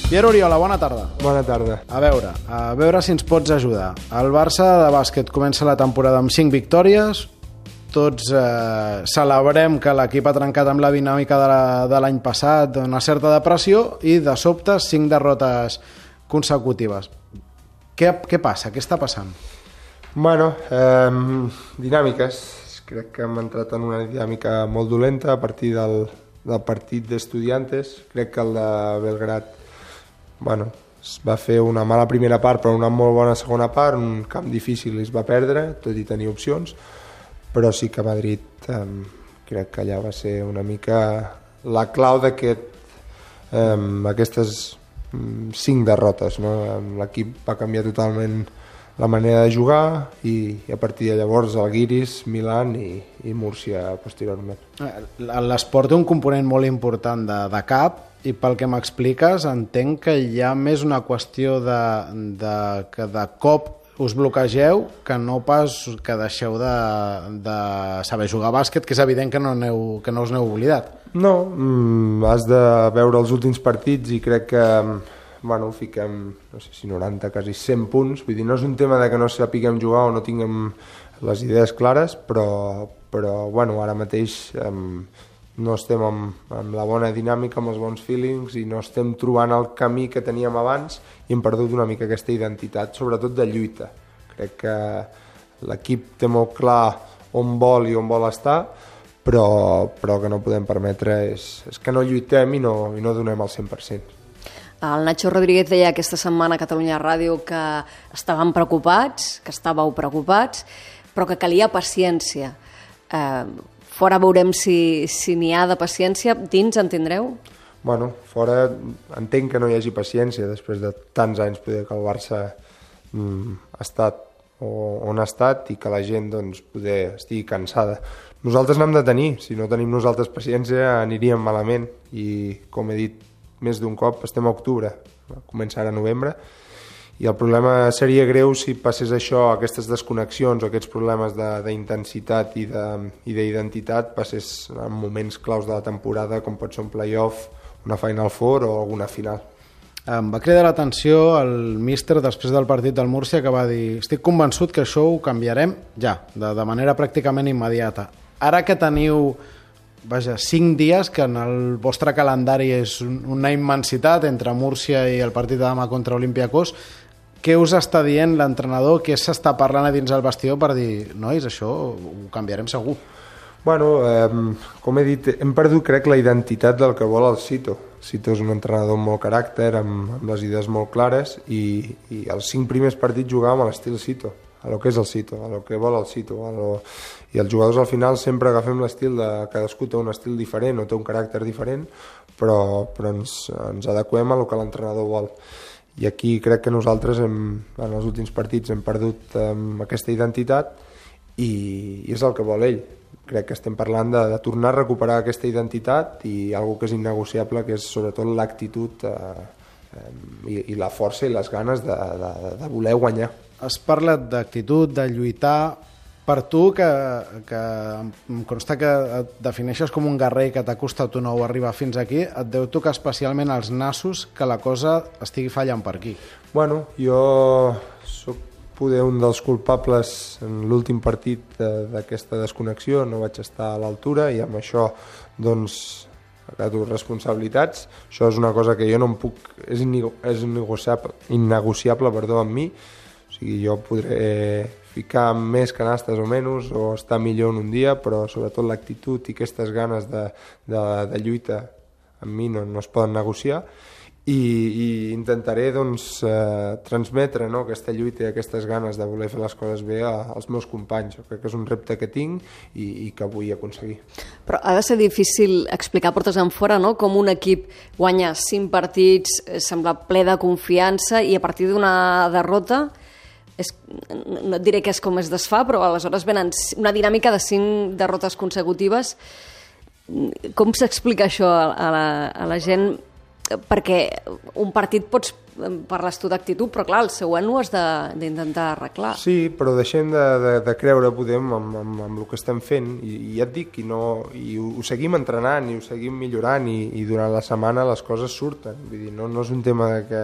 Pierre Oriola, bona tarda. Bona tarda. A veure si ens pots ajudar. El Barça de bàsquet comença la temporada amb 5 victòries. Tots celebrem que l'equip ha trencat amb la dinàmica de l'any passat, una certa depressió, i de sobte 5 derrotes consecutives. Què passa? Què està passant? Bueno, dinàmiques. Crec que hem entrat en una dinàmica molt dolenta a partir del partit d'Estudiantes. Crec que el de Belgrad es va fer una mala primera part però una molt bona segona part, un camp difícil i es va perdre, tot i tenir opcions, però sí que a Madrid crec que allà va ser una mica la clau d'aquestes 5 derrotes, no? L'equip va canviar totalment la manera de jugar i a partir de llavors Žalgiris, Milan i Múrcia posteriorment. L'esport té un component molt important de cap, i pel que m'expliques entenc que hi ha més una qüestió que de cop us bloquegeu que no pas que deixeu de saber jugar a bàsquet, que és evident que no us n'heu oblidat. No, has de veure els últims partits i crec que fiquem, no sé si 90, quasi 100 punts. Vull dir, no és un tema de que no sapiguem jugar o no tinguem les idees clares, però ara mateix no estem amb la bona dinàmica, amb els bons feelings, i no estem trobant el camí que teníem abans i hem perdut una mica aquesta identitat, sobretot de lluita. Crec que l'equip té molt clar on vol i on vol estar, però que no podem permetre és que no lluitem i no donem el 100%. El Nacho Rodríguez deia aquesta setmana a Catalunya Ràdio que estàveu preocupats, però que calia paciència. Fora veurem si n'hi ha de paciència. Dins en tindreu? Bueno, fora entenc que no hi hagi paciència després de tants anys poder que el Barça ha estat on ha estat i que la gent poder estigui cansada. Nosaltres n'hem de tenir. Si no tenim nosaltres paciència aniríem malament i, com he dit més d'un cop, estem a octubre, comença ara a novembre, i el problema seria greu si passés això, aquestes desconnexions o aquests problemes d'intensitat i d'identitat passés en moments claus de la temporada, com pot ser un play-off, una Final Four o alguna final. Em va cridar l'atenció el míster després del partit del Múrcia, que va dir: estic convençut que això ho canviarem ja, de manera pràcticament immediata. Ara que teniu 5 dies, que en el vostre calendari és una immensitat entre Múrcia i el partit de demà contra Olympiacos, què us està dient l'entrenador? Què s'està parlant a dins del vestidor per dir, nois, això ho canviarem segur? Bueno, com he dit, hem perdut, crec, la identitat del que vol el Sito. El Sito és un entrenador amb molt caràcter, amb les idees molt clares, i els 5 primers partits jugàvem a l'estil Sito, a lo que és el Sito, a lo que vol el Sito. I els jugadors al final sempre agafem l'estil de cadascú té un estil diferent o té un caràcter diferent, però ens adequem a lo que l'entrenador vol. I aquí crec que nosaltres en els últims partits hem perdut aquesta identitat i és el que vol ell. Crec que estem parlant de tornar a recuperar aquesta identitat i alguna que és innegociable, que és sobretot l'actitud i la força i les ganes de voler guanyar. Has parlat d'actitud, de lluitar. Per tu, que em consta que et defineixes com un guerrer, que t'ha costat un ou arribar fins aquí, et deu tocar especialment als nassos que la cosa estigui fallant per aquí. Bueno, jo sóc poder un dels culpables en l'últim partit d'aquesta desconnexió, no vaig estar a l'altura i amb això agato responsabilitats. Això és una cosa que jo no em puc... és innegociable amb mi. O sigui, jo podré ficar més canastes o menys, o estar millor en un dia, però sobretot l'actitud i aquestes ganes de lluita amb mi no es poden negociar, i intentaré transmetre aquesta lluita i aquestes ganes de voler fer les coses bé als meus companys. Jo crec que és un repte que tinc i que vull aconseguir. Però ha de ser difícil explicar portes enfora, no?, com un equip guanya 5 partits, sembla ple de confiança, i a partir d'una derrota no et diré que és com es desfà, però aleshores venen una dinàmica de 5 derrotes consecutives. Com s'explica això a la gent perquè un partit parles tu d'actitud, però clar, el següent ho has d'intentar arreglar. Sí, però deixem de creure, podem, amb el que estem fent, i ja et dic, i ho seguim entrenant, i ho seguim millorant, i durant la setmana les coses surten. Vull dir, no és un tema de que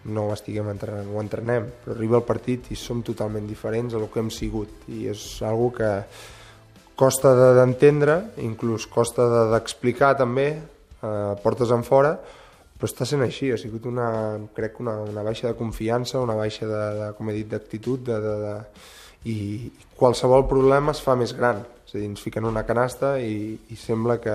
no ho estiguem entrenant, ho entrenem, però arriba el partit i som totalment diferents a el que hem sigut, i és una que costa d'entendre, inclús costa d'explicar també, portes en fora, però està sent així, ha sigut crec una baixa de confiança, una baixa com he dit, d'actitud, i qualsevol problema es fa més gran, és a dir, ens fiquen una canasta i sembla que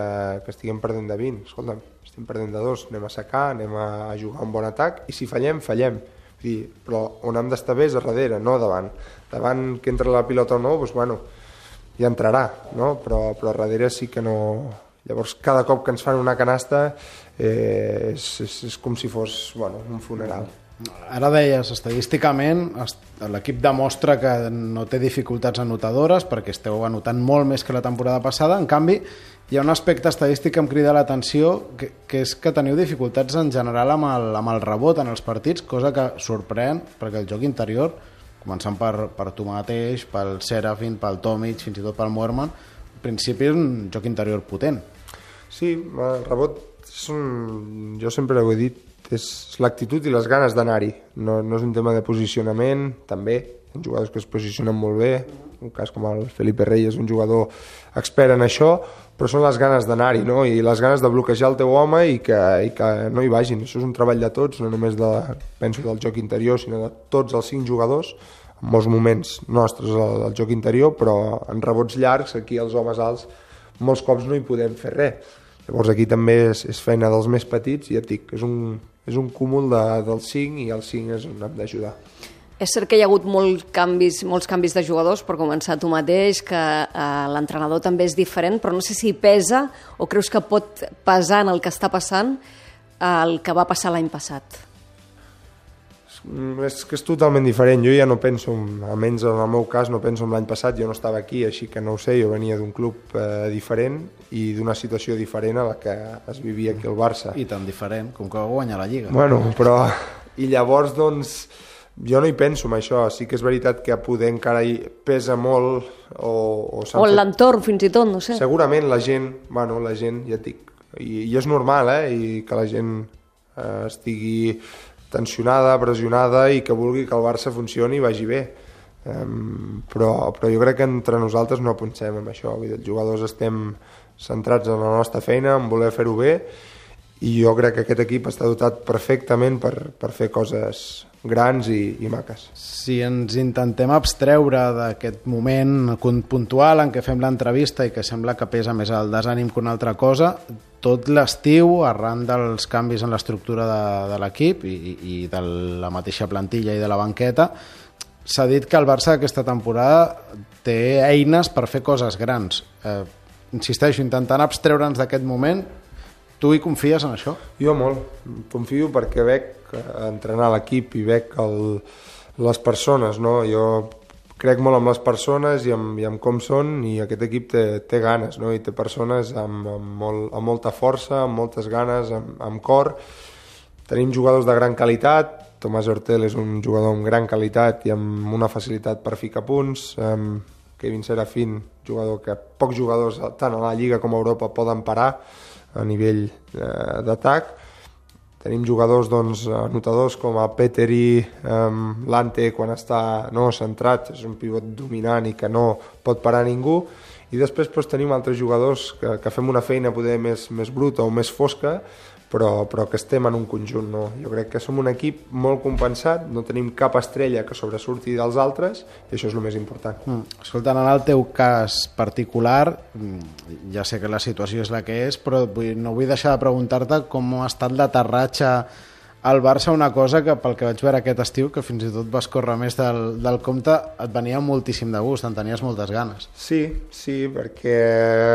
estiguem perdent de 20, escolta'm, estem perdent de 2, anem a secar, anem a jugar un bon atac, i si fallem, fallem, però on hem d'estar bé és a darrere, no davant, que entra la pilota o no, doncs bueno, ja entrarà, no? Però a darrere sí que no. Llavors cada cop que ens fan una canasta és com si fos un funeral. Ara deies, estadísticament l'equip demostra que no té dificultats anotadores perquè esteu anotant molt més que la temporada passada. En canvi, hi ha un aspecte estadístic que em crida l'atenció, que és que teniu dificultats en general amb el rebot en els partits, cosa que sorprèn perquè el joc interior, començant per tu mateix, pel Serafin, pel Tomic, fins i tot pel Moerman, en principi és un joc interior potent. Sí, el rebot, jo sempre ho he dit, és l'actitud i les ganes d'anar-hi. No és un tema de posicionament, també, hi ha jugadors que es posicionen molt bé, un cas com el Felipe Reyes, un jugador expert en això, però són les ganes d'anar-hi, no? I les ganes de bloquejar el teu home i que no hi vagin. Això és un treball de tots, no només penso del joc interior, sinó de tots els 5 jugadors, en molts moments nostres al joc interior, però en rebots llargs, aquí els homes alts, molts cops no hi podem fer res. Llavors aquí també és feina dels més petits, i ja et dic, és un cúmul dels 5, i els 5 és on hem d'ajudar. És cert que hi ha hagut molts canvis de jugadors, per començar tu mateix, que l'entrenador també és diferent, però no sé si pesa o creus que pot pesar en el que està passant el que va passar l'any passat. És que és totalment diferent. Jo ja no penso, almenys en el meu cas, no penso en l'any passat, jo no estava aquí, així que no ho sé, jo venia d'un club diferent i d'una situació diferent a la que es vivia aquí al Barça. I tan diferent, com que va guanyar la Lliga. Bueno, però... I llavors, doncs, jo no hi penso en això. Sí que és veritat que poder encara hi pesa molt o l'entorn, fins i tot, no sé. Segurament la gent, ja et dic, i és normal, i que la gent estigui tensionada, pressionada, i que vulgui que el Barça funcioni i vagi bé. Però jo crec que entre nosaltres no pensem en això. Els jugadors estem centrats en la nostra feina, en voler fer-ho bé, i jo crec que aquest equip està dotat perfectament per fer coses grans i maques. Si ens intentem abstreure d'aquest moment puntual en què fem l'entrevista i que sembla que pesa més el desànim que una altra cosa, tot l'estiu, arran dels canvis en l'estructura de l'equip i de la mateixa plantilla i de la banqueta, s'ha dit que el Barça aquesta temporada té eines per fer coses grans. Insisteixo, intentant abstreure'ns d'aquest moment, tu hi confies en això? Jo molt. Confio perquè veig entrenar l'equip i veig les persones, no? Jo crec molt en les persones i en com són, i aquest equip té ganes, no? I té persones amb molta força, amb moltes ganes, amb cor. Tenim jugadors de gran qualitat. Tomàs Hortel és un jugador amb gran qualitat i amb una facilitat per ficar punts. Kevin Serafin, jugador que pocs jugadors tant a la Lliga com a Europa poden parar a nivell d'atac. Tenim jugadors anotadors com a Peteri, Lante, quan està centrat, és un pivot dominant i que no pot parar ningú. I després tenim altres jugadors que fem una feina poder més bruta o més fosca, però que estem en un conjunt. No? Jo crec que som un equip molt compensat, no tenim cap estrella que sobresurti dels altres, i això és el més important. Escolta, en el teu cas particular, ja sé que la situació és la que és, però no vull deixar de preguntar-te com ha estat l'aterratge al Barça, una cosa que pel que vaig veure aquest estiu, que fins i tot vas córrer més del compte, et venia moltíssim de gust, en tenies moltes ganes. Sí, perquè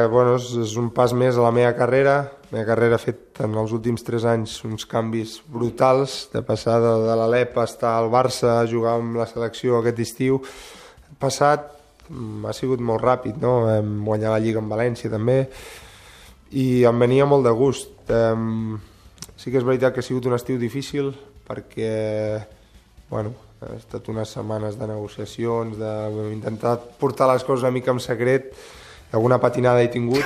és un pas més a la meva carrera. La meva carrera ha fet en els últims 3 anys uns canvis brutals, de passar de l'Alep a estar al Barça, a jugar amb la selecció aquest estiu. El passat ha sigut molt ràpid, no? Vam guanyar la Lliga en València també, i em venia molt de gust. Sí que és veritat que ha sigut un estiu difícil perquè, bueno, ha estat unes setmanes de negociacions, d'intentar portar les coses una mica en secret. Alguna patinada he tingut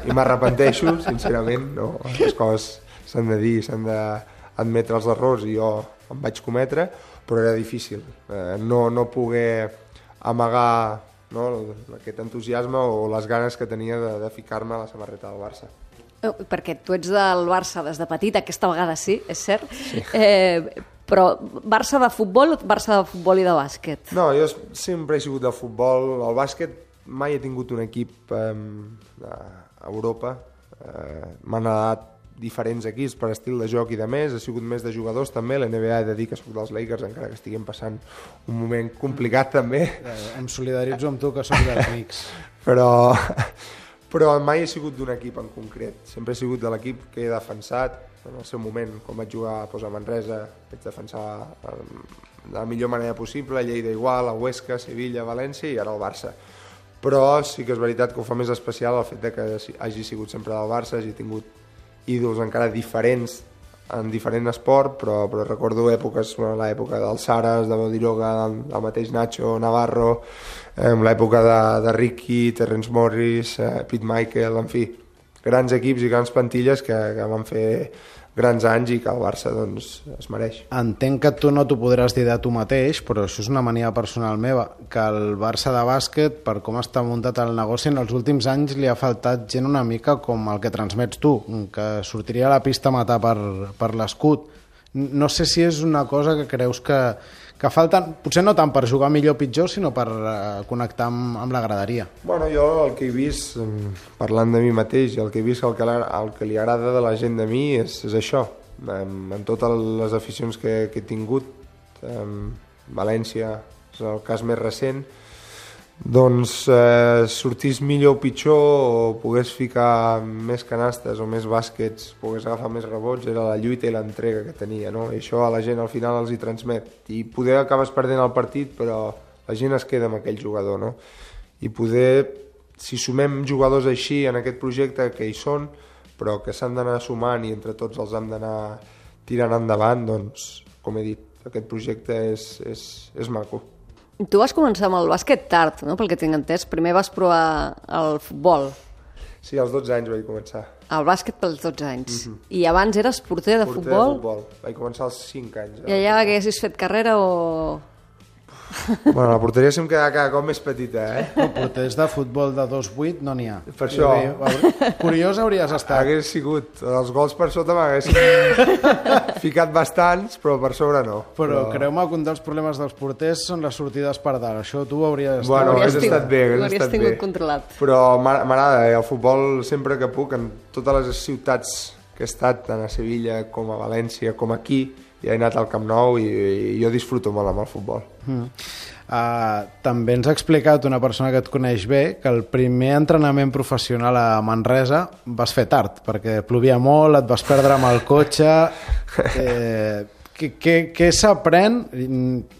i m'arrepenteixo, sincerament. No, les coses s'han de dir, s'han d'admetre els errors i jo em vaig cometre, però era difícil. No poder amagar, no, aquest entusiasme o les ganes que tenia de ficar-me a la samarreta del Barça. Perquè tu ets del Barça des de petit, aquesta vegada sí, és cert, sí. Però Barça de futbol i de bàsquet? No, jo sempre he sigut de futbol. El bàsquet mai he tingut un equip a Europa. M'han agradat diferents equips per estil de joc i de més. He sigut més de jugadors també. L'NBA he de dir que soc dels Lakers, encara que estiguem passant un moment complicat també. Em solidaritzo amb tu, que soc dels Knicks. Però mai he sigut d'un equip en concret. Sempre he sigut de l'equip que he defensat en el seu moment. Quan vaig jugar a Manresa, vaig defensar de la millor manera possible, a Lleida igual, a Huesca, Sevilla, València i ara al Barça. Però sí que és veritat que ho fa més especial el fet de que hagi sigut sempre del Barça, hagi tingut ídols encara diferents en diferent esport, però recordo èpoques, l'època del Saras, de Bodiroga, del mateix Nacho Navarro, l'època de Ricky, Terrence Morris, Pete Michael, en fi, grans equips i grans plantilles que van fer grans anys i que el Barça doncs, es mereix. Entenc que tu no t'ho podràs dir de tu mateix, però això és una mania personal meva, que el Barça de bàsquet, per com està muntat el negoci, en els últims anys li ha faltat gent una mica com el que transmets tu, que sortiria a la pista a matar per l'escut. No sé si és una cosa que creus que falten, potser no tant per jugar millor o pitjor, sinó per connectar amb la graderia. Bueno, jo el que he vist, parlant de mi mateix, el que he vist, el que li agrada de la gent de mi és això. En totes les aficions que he tingut, València és el cas més recent, doncs sortís millor o pitjor o pogués ficar més canastes o més bàsquets, pogués agafar més rebots, era la lluita i l'entrega que tenia, no? I això a la gent al final els hi transmet. I poder acabes perdent el partit, però la gent es queda amb aquell jugador, no? I poder, si sumem jugadors així en aquest projecte que hi són, però que s'han d'anar sumant i entre tots els hem d'anar tirant endavant, doncs, com he dit, aquest projecte és maco. Tu vas començar amb el bàsquet tard, no? Pel que tinc entès. Primer vas provar el futbol. Sí, als 12 anys vaig començar. El bàsquet pels 12 anys. I abans eres porter de futbol? Porter de futbol. Vaig començar als 5 anys. I allà haguessis fet carrera o...? Bueno, la porteria se'm queda cada cop més petita, No, porters de futbol de 2'8" no n'hi ha. Per això... Curiós hauries estat. Hagués sigut. Els gols per sota m'haguessin ficat bastants, però per sobre no. Però creu-me que un dels problemes dels porters són les sortides per dalt. Això tu hauries... Bueno, hauries estat bé. Hauries tingut controlat. Però m'agrada, el futbol sempre que puc, en totes les ciutats que he estat, tant a Sevilla com a València, com aquí, ja he anat al Camp Nou i jo disfruto molt amb el futbol. També ens ha explicat una persona que et coneix bé que el primer entrenament professional a Manresa vas fer tard, perquè plovia molt, et vas perdre amb el cotxe. Què s'aprèn,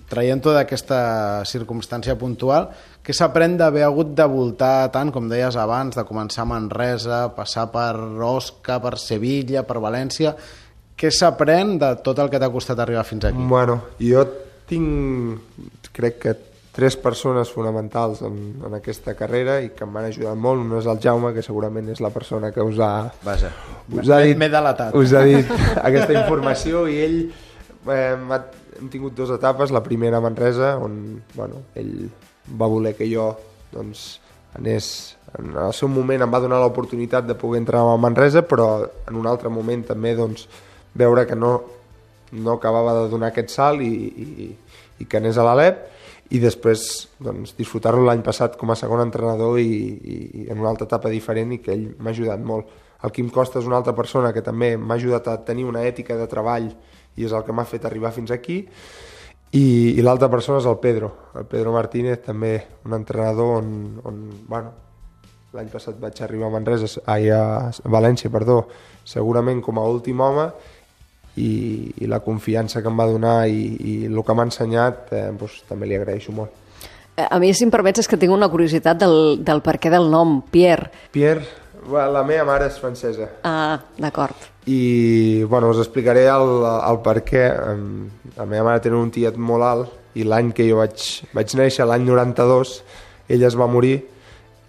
traient-ho d'aquesta circumstància puntual, què s'aprèn d'haver hagut de voltar tant, com deies abans, de començar a Manresa, passar per Osca, per Sevilla, per València? Què s'aprèn de tot el que t'ha costat arribar fins aquí? Bueno, jo tinc, crec que 3 persones fonamentals en aquesta carrera i que em van ajudar molt. Un és el Jaume, que segurament és la persona que us ha dit aquesta informació, i ell hem tingut 2 etapes. La primera a Manresa, on ell va voler que jo anés, en el seu moment em va donar l'oportunitat de poder entrar a Manresa, però en un altre moment també veure que no acabava de donar aquest salt i que anés a l'Alep, i després disfrutar-lo l'any passat com a segon entrenador i en una altra etapa diferent, i que ell m'ha ajudat molt. El Quim Costa és una altra persona que també m'ha ajudat a tenir una ètica de treball i és el que m'ha fet arribar fins aquí, i l'altra persona és el Pedro Martínez, també un entrenador on l'any passat vaig arribar a València, segurament com a últim home, i la confiança que em va donar i el que m'ha ensenyat també li agraeixo molt. A mi, si em permets, és que tinc una curiositat del per què del nom, Pierre. Pierre, la meva mare és francesa. Ah, d'acord. i bueno, us explicaré el per què. La meva mare tenia un tiet molt alt i l'any que jo vaig néixer, l'any 92, ella es va morir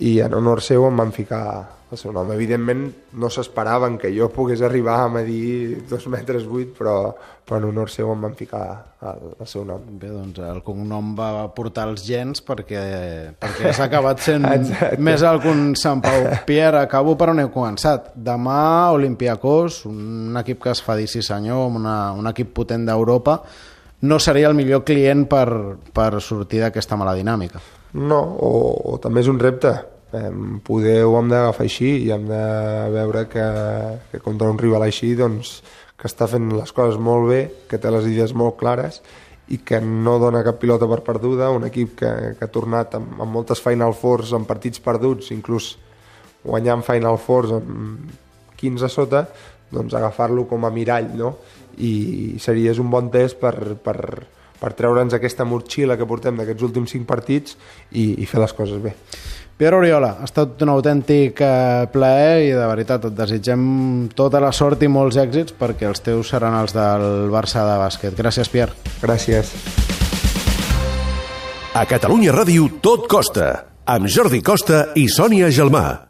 i en honor seu em van ficar el seu nom. Evidentment no s'esperaven que jo pogués arribar a medir 2,8 metres, però en honor seu em van ficar el seu nom. Bé, doncs el cognom va portar els gens perquè has acabat sent més alt que un Sant Pau. Pierre, acabo per on heu començat. Demà, Olympiacos, un equip que es fa dir sí senyor, un equip potent d'Europa, no seria el millor client per sortir d'aquesta mala dinàmica. No, o també és un repte. Poder ho hem d'agafar així i hem de veure que contra un rival així doncs, que està fent les coses molt bé, que té les idees molt clares i que no dona cap pilota per perduda, un equip que ha tornat amb moltes Final Fours en partits perduts, inclús guanyant Final Fours amb 15 a sota, doncs agafar-lo com a mirall, no? I és un bon test per treure'ns aquesta motxilla que portem d'aquests últims 5 partits i fer les coses bé. Pierre Oriola, ha estat un autèntic plaer i de veritat et desitgem tota la sort i molts èxits perquè els teus seran els del Barça de bàsquet. Gràcies, Pierre. Gràcies. A Catalunya Ràdio tot costa, amb Jordi Costa i Sònia Gelmà.